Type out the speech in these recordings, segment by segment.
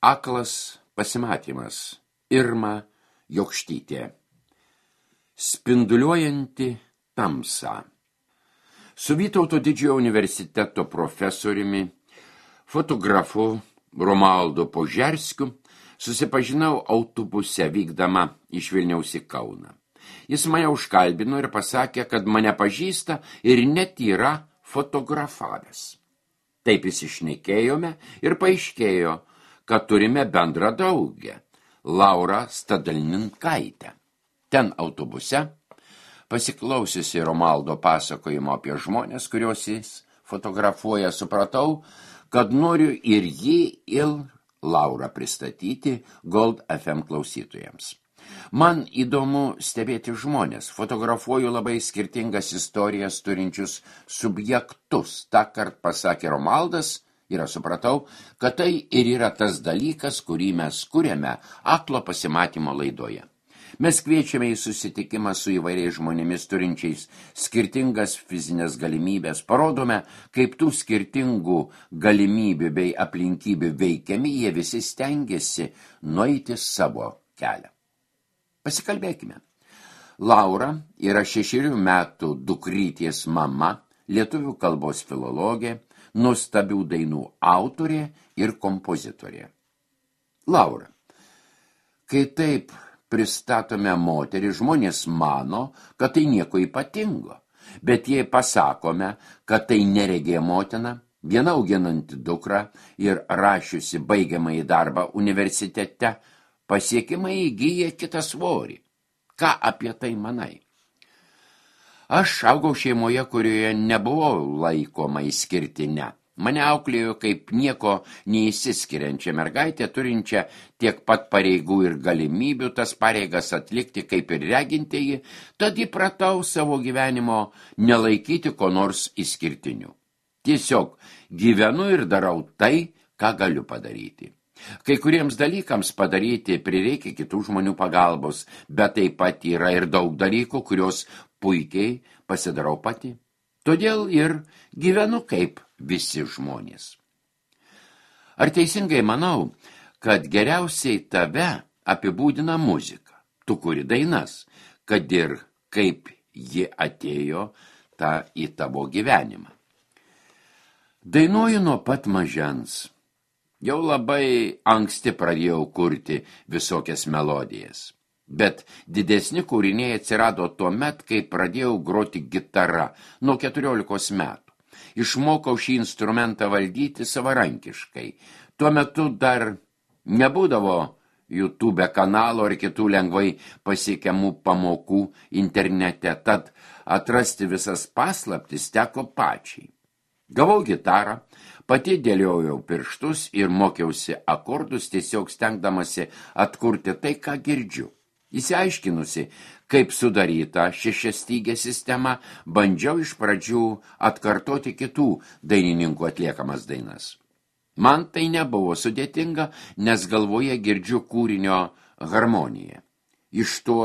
Aklas pasimatymas. Irma Jokštytė. Spinduliuojanti tamsa. Su Vytauto Didžiojo universiteto profesoriumi, fotografu Romualdu Požerskiu susipažinau autobuse vykdama iš Vilniaus į Kauną. Jis mane užkalbino ir pasakė, kad mane pažįsta ir net yra fotografavęs. Taip įsišnekėjome ir paaiškėjo, kad turime bendrą draugę, Laurą Stadalninkaitę. Ten autobuse, pasiklausiusi Romualdo pasakojimo apie žmonės, kuriuos jis fotografuoja, supratau, kad noriu ir jį, ir Laurą pristatyti Gold FM klausytojams. Man įdomu stebėti žmonės, fotografuoju labai skirtingas istorijas turinčius subjektus. Tąkart pasakė Romualdas ir aš supratau, kad tai ir yra tas dalykas, kurį mes kuriame aklo pasimatymo laidoje. Mes kviečiame į susitikimą su įvairiais žmonėmis turinčiais skirtingas fizinės galimybės, parodome, kaip tų skirtingų galimybių bei aplinkybių veikiami, jie visi stengiasi nueiti savo kelią. Pasikalbėkime. Laura yra 6 metų dukrytės mama, lietuvių kalbos filologė, nuostabių dainų autorė ir kompozitorė. Laura, kai taip pristatome moterį, žmonės mano, kad tai nieko ypatingo, bet jei pasakome, kad tai neregė motina, viena auginanti dukrą ir rašiusi baigiamąjį darbą universitete, pasiekimai įgyja kitą svorį. Ką apie tai manai? Aš augau šeimoje, kurioje nebuvau laikoma išskirtine. Mane auklėjo kaip nieko neįsiskiriančią mergaitę, turinčią tiek pat pareigų ir galimybių tas pareigas atlikti kaip ir regintieji, tad įpratau savo gyvenimo nelaikyti ko nors išskirtiniu. Tiesiog gyvenu ir darau tai, ką galiu padaryti. Kai kuriems dalykams padaryti prireikia kitų žmonių pagalbos, bet taip pat yra ir daug dalykų, kurios puikiai pasidarau pati. Todėl ir gyvenu kaip visi žmonės. Ar teisingai manau, kad geriausiai tave apibūdina muzika? Tu kuri dainas, kad ir kaip ji atėjo į tavo gyvenimą. Dainuoju nuo pat mažens. Jau labai anksti pradėjau kurti visokias melodijas. Bet didesni kūriniai atsirado tuomet, kai pradėjau groti gitarą nuo 14 metų. Išmokau šį instrumentą valdyti savarankiškai. Tuo metu dar nebūdavo YouTube kanalo ar kitų lengvai pasiekiamų pamokų internete, tad atrasti visas paslaptis teko pačiai. Gavau gitarą, pati dėliojau pirštus ir mokiausi akordus, tiesiog stengdamasi atkurti tai, ką girdžiu. Įsiaiškinusi, kaip sudaryta šešiastygė sistema, bandžiau iš pradžių atkartoti kitų dainininkų atliekamas dainas. Man tai nebuvo sudėtinga, nes galvoje girdžiu kūrinio harmoniją. Iš to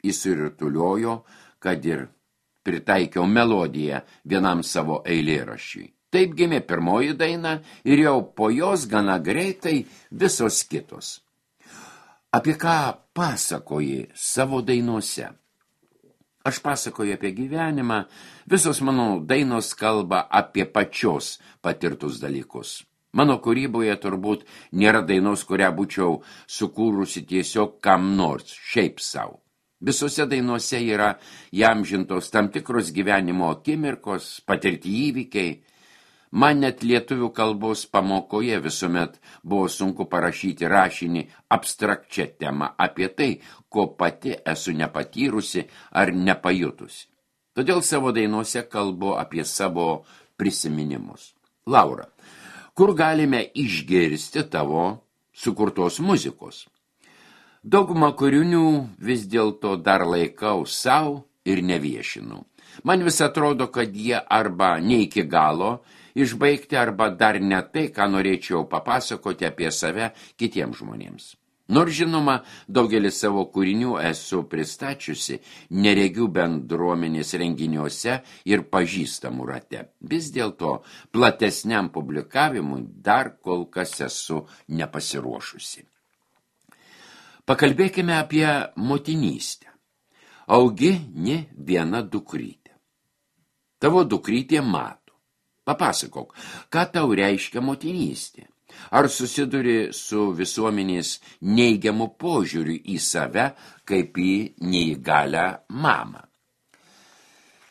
įsirutuliojo, kad ir pritaikiau melodiją vienam savo eilėraščiui. Taip gimė pirmoji daina ir jau po jos gana greitai visos kitos. Apie ką pasakoji savo dainuose? Aš pasakoju apie gyvenimą, visos mano dainos kalba apie pačios patirtus dalykus. Mano kūryboje turbūt nėra dainos, kurią būčiau sukūrusi tiesiog kam nors, šiaip savo. Visose dainuose yra įamžintos tam tikros gyvenimo akimirkos, patirti įvykiai. Man net lietuvių kalbos pamokoje visuomet buvo sunku parašyti rašinį abstrakčią temą apie tai, ko pati esu nepatyrusi ar nepajutusi. Todėl savo dainuose kalbu apie savo prisiminimus. Laura, kur galime išgirsti tavo sukurtos muzikos? Daugumą kūrinių vis dėlto dar laikau savo ir neviešinu. Man vis atrodo, kad jie arba ne iki galo išbaigti, arba dar ne tai, ką norėčiau papasakoti apie save kitiems žmonėms. Nors žinoma, daugelis savo kūrinių esu pristačiusi neregių bendruomenės renginiuose ir pažįstamų rate. Vis dėlto platesniam publikavimui dar kol kas esu nepasiruošusi. Pakalbėkime apie motinystę. Augi ne viena dukrytė. Tavo dukrytė mato. Papasakok, ką tau reiškia motinystė? Ar susiduri su visuomenės neigiamu požiūriu į save kaip į neįgalią mamą?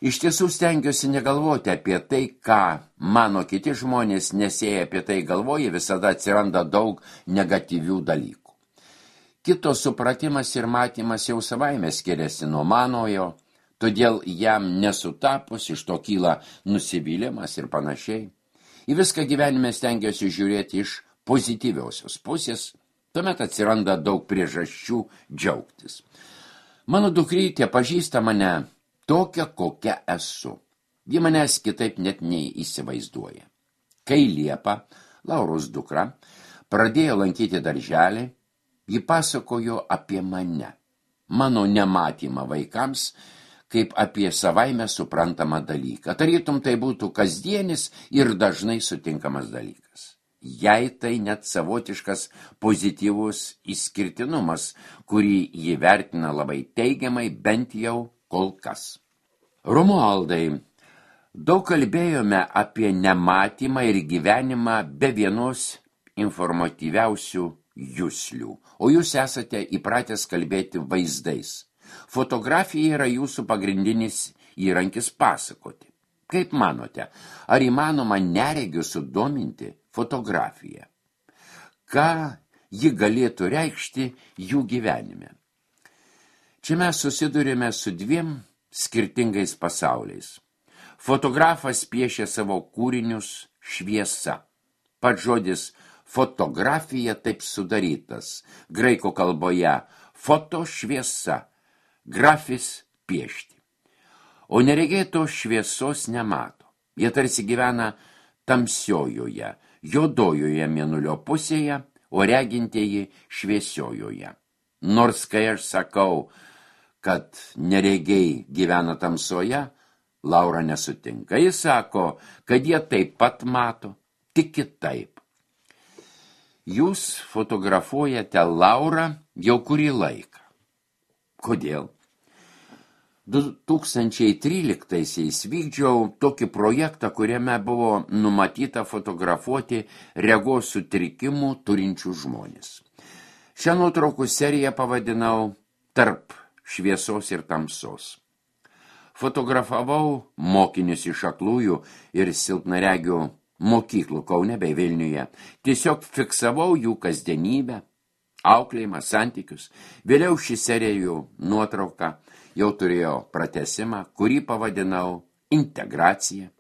Iš tiesų stengiuosi negalvoti apie tai, ką mano kiti žmonės, nes jei apie tai galvoja, visada atsiranda daug negatyvių dalykų. Kito supratimas ir matymas jau savaime skiriasi nuo manojo, todėl jam nesutapus iš to kyla nusivylimas ir panašiai. Į viską gyvenime stengiuosi žiūrėti iš pozityviausios pusės, tuomet atsiranda daug priežasčių džiaugtis. Mano dukrytė pažįsta mane tokią, kokią esu. Ji manęs kitaip net neįsivaizduoja. Kai Liepa, Lauros dukra, pradėjo lankyti darželį, ji pasakojo apie mane, mano nematymą vaikams, kaip apie savaime suprantamą dalyką. Tarytum tai būtų kasdienis ir dažnai sutinkamas dalykas. Jei tai net savotiškas pozityvus išskirtinumas, kurį ji vertina labai teigiamai, bent jau kol kas. Romualdai, daug kalbėjome apie nematymą ir gyvenimą be vienos informatyviausių juslių, o jūs esate įpratęs kalbėti vaizdais. Fotografija yra jūsų pagrindinis įrankis pasakoti. Kaip manote, ar įmanoma neregių sudominti fotografiją? Ką ji galėtų reikšti jų gyvenime? Čia mes susidurime su dviem skirtingais pasauliais. Fotografas piešia savo kūrinius šviesa. Pats žodis fotografija taip sudarytas. Graikų kalboje foto šviesa. Grafis piešti. O neregėto šviesos nemato. Jie tarsi gyvena tamsiojoje, juodojoje mėnulio pusėje, o regintieji šviesiojoje. Nors kai aš sakau, kad neregiai gyvena tamsoje, Laura nesutinka. Jis sako, kad jie taip pat mato, tik kitaip. Jūs fotografuojate Laurą jau kurį laiką. Kodėl? 2013-aisiais vykdžiau tokį projektą, kuriame buvo numatyta fotografuoti regos sutrikimų turinčių žmonės. Šią nuotraukų seriją pavadinau Tarp šviesos ir tamsos. Fotografavau mokinius iš aklųjų ir silpnaregių mokyklų Kaune bei Vilniuje. Tiesiog fiksavau jų kasdienybę, auklėjimą, santykius. Vėliau šį serijų nuotrauką jau turėjo pratesimą, kurį pavadinau integracija.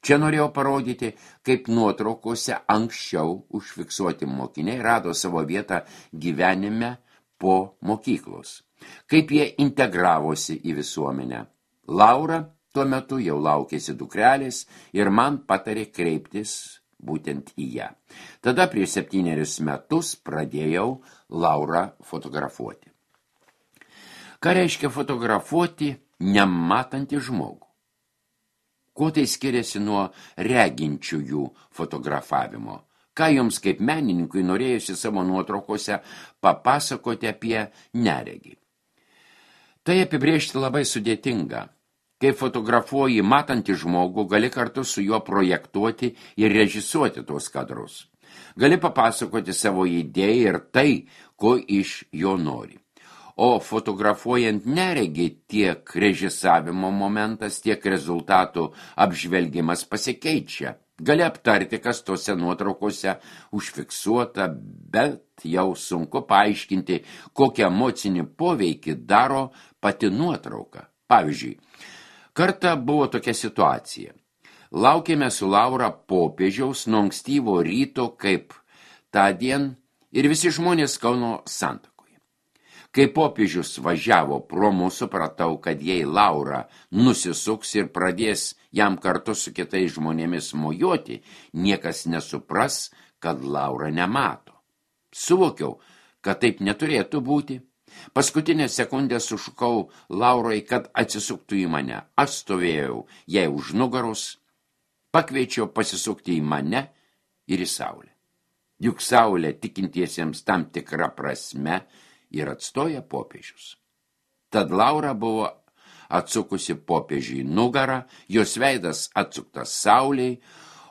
Čia norėjau parodyti, kaip nuotraukose anksčiau užfiksuoti mokiniai rado savo vietą gyvenime po mokyklos. Kaip jie integravosi į visuomenę. Laura tuo metu jau laukėsi dukrelės ir man patarė kreiptis būtent į ją. Tada prieš 7 metus pradėjau Laurą fotografuoti. Ką reiškia fotografuoti nematantį žmogų? Kuo tai skiriasi nuo reginčiųjų fotografavimo? Ką jums kaip menininkui norėjusi savo nuotraukose papasakoti apie neregį? Tai apibrėžti labai sudėtinga. Kai fotografuoji matantį žmogų, gali kartu su juo projektuoti ir režisuoti tuos kadrus. Gali papasakoti savo idėją ir tai, ko iš jo nori. O fotografuojant neregį tiek režisavimo momentas, tiek rezultatų apžvelgimas pasikeičia. Gali aptarti, kas tose nuotraukose užfiksuota, bet jau sunku paaiškinti, kokią emocinį poveikį daro pati nuotrauka. Pavyzdžiui, kartą buvo tokia situacija. Laukėme su Laura popiežiaus nuo ankstyvo ryto kaip tądien ir visi žmonės Kauno Santakoje. Kai popiežius važiavo pro mus, supratau, kad jei Laura nusisuks ir pradės jam kartu su kitais žmonėmis mojuoti, niekas nesupras, kad Laura nemato. Suvokiau, kad taip neturėtų būti. Paskutinę sekundę sušukau Laurai, kad atsisuktų į mane. Aš stovėjau jai už nugaros, pakviečiau pasisukti į mane ir į saulę. Juk saulė tikintiesiems tam tikra prasme ir atstoja popiežius. Tad Laura buvo atsukusi popiežiui nugarą, jos veidas atsuktas sauliai,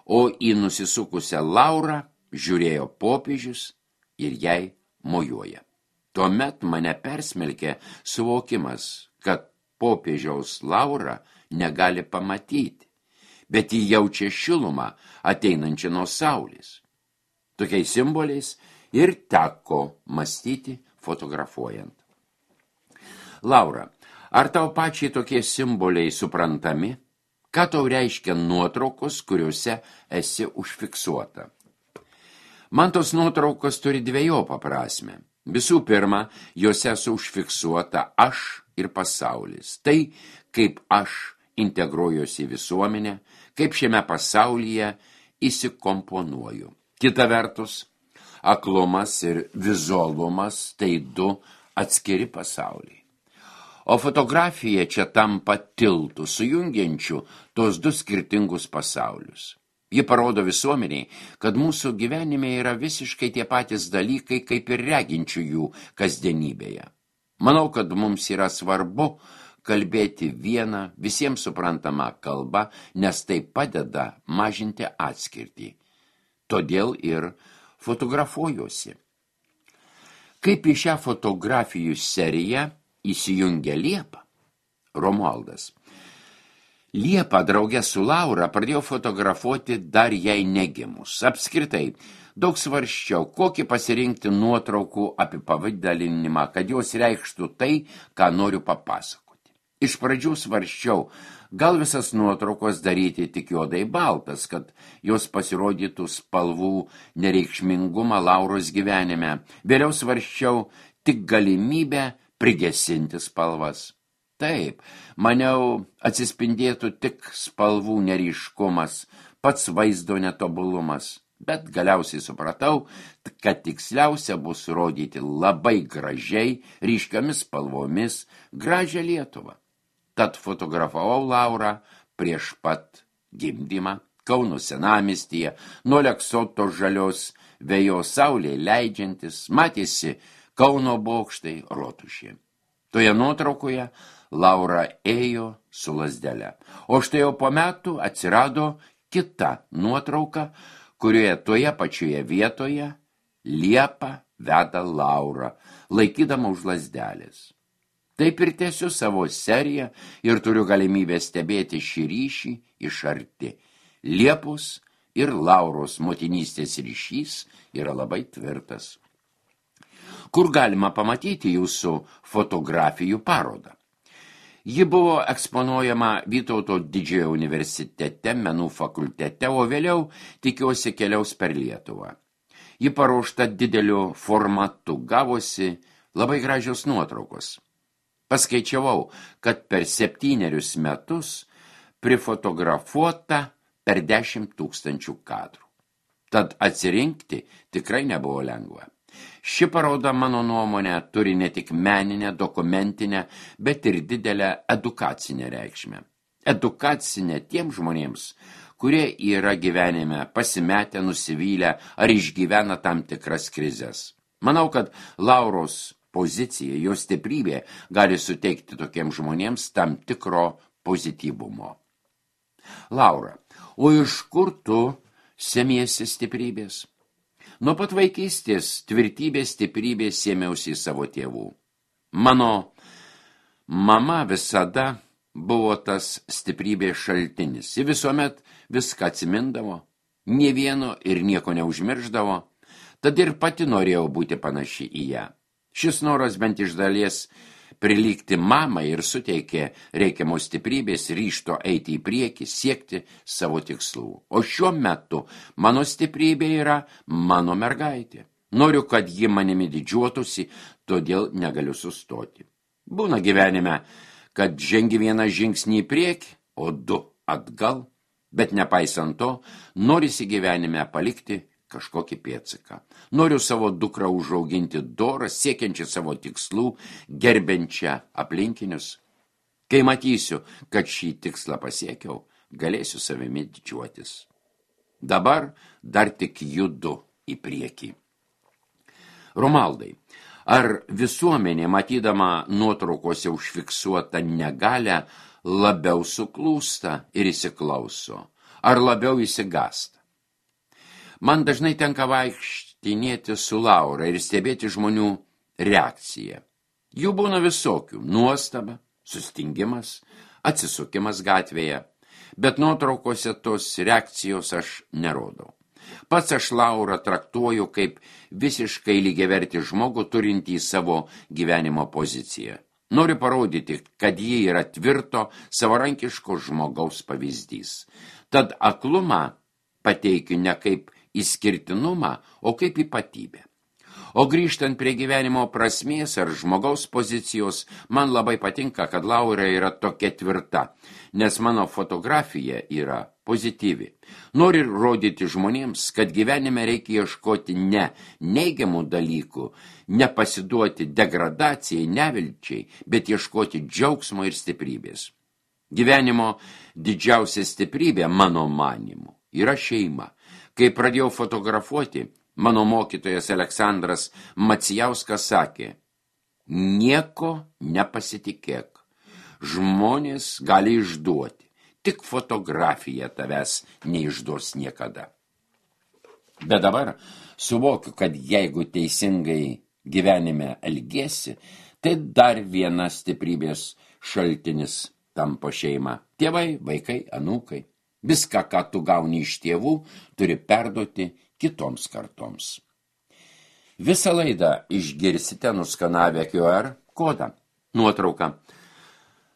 o į nusisukusią Laurą žiūrėjo popiežius ir jai mojuoja. Tuomet mane persmelkė suvokimas, kad popiežiaus Laura negali pamatyti, bet jį jaučia šilumą ateinančią nuo saulės. Tokiais simboliais ir teko mąstyti fotografuojant. Laura, ar tau pačiai tokie simboliai suprantami? Ką tau reiškia nuotraukos, kuriuose esi užfiksuota? Man tos nuotraukos turi dvejopą prasmę. Visų pirma, juose esu užfiksuota aš ir pasaulis. Tai, kaip aš integruojuosi į visuomenę, kaip šiame pasaulyje įsikomponuoju. Kita vertus, aklumas ir vizualumas tai du atskiri pasauliai. O fotografija čia tampa tiltu, sujungiančiu tos du skirtingus pasaulius. Ji parodo visuomeniai, kad mūsų gyvenime yra visiškai tie patys dalykai, kaip ir reginčiųjų kasdienybėje. Manau, kad mums yra svarbu kalbėti vieną visiems suprantamą kalbą, nes tai padeda mažinti atskirtį. Todėl ir fotografuojuosi. Kaip į šią fotografijų seriją įsijungia Liepa? Romualdas. Liepa drauge su Laura pradėjo fotografuoti dar jai negimus. Apskritai, daug svarsčiau, kokį pasirinkti nuotraukų apipavidalinimą, kad jos reikštų tai, ką noriu papasakoti. Iš pradžių svarsčiau, gal visas nuotraukos daryti tik juodai baltas, kad jos pasirodytų spalvų nereikšmingumą Lauros gyvenime. Vėliau svarsčiau tik galimybę prigesinti spalvas. Taip, maniau, atsispindėtų tik spalvų neryškumas, pats vaizdo netobulumas, bet galiausiai supratau, kad tiksliausia bus rodyti labai gražiai, ryškiomis spalvomis, gražią Lietuvą. Tad fotografavau Laurą prieš pat gimdymą, Kauno senamiestyje, nuo Aleksoto žalios vėjos saulė leidžiantis, matėsi Kauno bokštai rotušė. Toje nuotraukoje Laura ėjo su lazdele, o štai jau po metų atsirado kita nuotrauka, kurioje toje pačioje vietoje Liepa veda Laurą, laikydama už lazdelės. Taip ir tęsiu savo seriją ir turiu galimybę stebėti šį ryšį iš arti. Liepos ir Lauros motinystės ryšys yra labai tvirtas. Kur galima pamatyti jūsų fotografijų parodą? Ji buvo eksponuojama Vytauto Didžiojo universitete, menų fakultete, o vėliau, tikiuosi, keliaus per Lietuvą. Ji paruošta dideliu formatu, gavosi labai gražios nuotraukos. Paskaičiavau, kad per 7 metus prifotografuota per 10 000 kadrų. Tad atsirinkti tikrai nebuvo lengva. Ši paroda, mano nuomonė, turi ne tik meninę, dokumentinę, bet ir didelę edukacinę reikšmę. Edukacinę tiems žmonėms, kurie yra gyvenime pasimetę, nusivylę ar išgyvena tam tikras krizes. Manau, kad Lauros pozicija, jos stiprybė gali suteikti tokiems žmonėms tam tikro pozityvumo. Laura, o iš kur tu semiesi stiprybės? Nuo pat vaikystės tvirtybės stiprybės sėmiausi savo tėvų. Mano mama visada buvo tas stiprybės šaltinis. Ji visuomet viską atsimindavo, nė vieno ir nieko neužmirždavo, tad ir pati norėjau būti panaši į ją. Šis noras bent iš dalies prilygti mamai ir suteikė reikiamos stiprybės, ryžto eiti į priekį, siekti savo tikslų. O šiuo metu mano stiprybė yra mano mergaitė. Noriu, kad ji manimi didžiuotųsi, todėl negaliu sustoti. Būna gyvenime, kad žengi vieną žingsnį į priekį, o 2 atgal, bet nepaisant to, norisi gyvenime palikti kažkokį pėdsaką. Noriu savo dukrą užauginti dorą, siekiančią savo tikslų, gerbiančią aplinkinius. Kai matysiu, kad šį tikslą pasiekiau, galėsiu savimi didžiuotis. Dabar dar tik judu į priekį. Romaldai, ar visuomenė, matydama nuotraukose užfiksuotą negalę, labiau suklūsta ir įsiklauso, ar labiau įsigąsta? Man dažnai tenka vaikštinėti su Laura ir stebėti žmonių reakciją. Jų būna visokių – nuostaba, sustingimas, atsisukimas gatvėje, bet nuotraukose tos reakcijos aš nerodau. Pats aš Laurą traktuoju kaip visiškai lygiavertį žmogų turintį savo gyvenimo poziciją. Noriu parodyti, kad ji yra tvirto, savarankiško žmogaus pavyzdys. Tad aklumą pateikiu ne kaip išskirtinumą, o kaip ypatybę. O grįžtant prie gyvenimo prasmės ar žmogaus pozicijos, man labai patinka, kad Laura yra tokia tvirta, nes mano fotografija yra pozityvi. Noriu rodyti žmonėms, kad gyvenime reikia ieškoti ne neigiamų dalykų, nepasiduoti degradacijai, nevilčiai, bet ieškoti džiaugsmo ir stiprybės. Gyvenimo didžiausia stiprybė, mano manymu, yra šeima. Kai pradėjau fotografuoti, mano mokytojas Aleksandras Macijauskas sakė, nieko nepasitikėk, žmonės gali išduoti, tik fotografija tavęs neišduos niekada. Bet dabar suvokiu, kad jeigu teisingai gyvenime elgiesi, tai dar viena stiprybės šaltinis tampa šeima. Tėvai, vaikai, anūkai. Viską, ką tu gauni iš tėvų, turi perduoti kitoms kartoms. Visą laidą išgirsite nuskanavę QR kodą. Nuotrauką.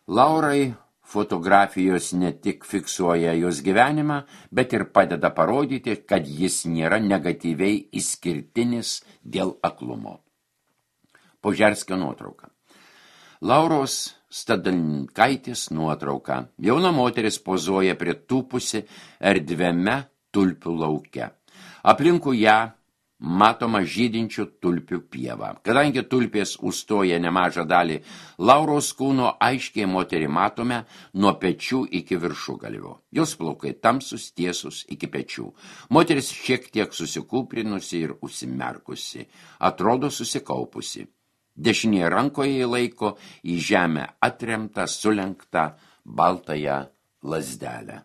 Laurai fotografijos ne tik fiksuoja jos gyvenimą, bet ir padeda parodyti, kad jis nėra negatyviai išskirtinis dėl aklumo. Požerskio nuotrauka. Lauros Stadalinkaitės nuotrauka. Jauna moteris pozuoja pritūpusi erdviame tulpių lauke. Aplinkui ją matoma žydinčių tulpių pieva. Kadangi tulpės užstoja nemažą dalį Lauros kūno, aiškiai moterį matome nuo pečių iki viršugalvio. Jos plaukai tamsus, tiesus iki pečių. Moteris šiek tiek susikūprinusi ir užsimerkusi. Atrodo susikaupusi. Dešinėje rankoje laiko į žemę atremtą, sulenktą baltąją lazdelę.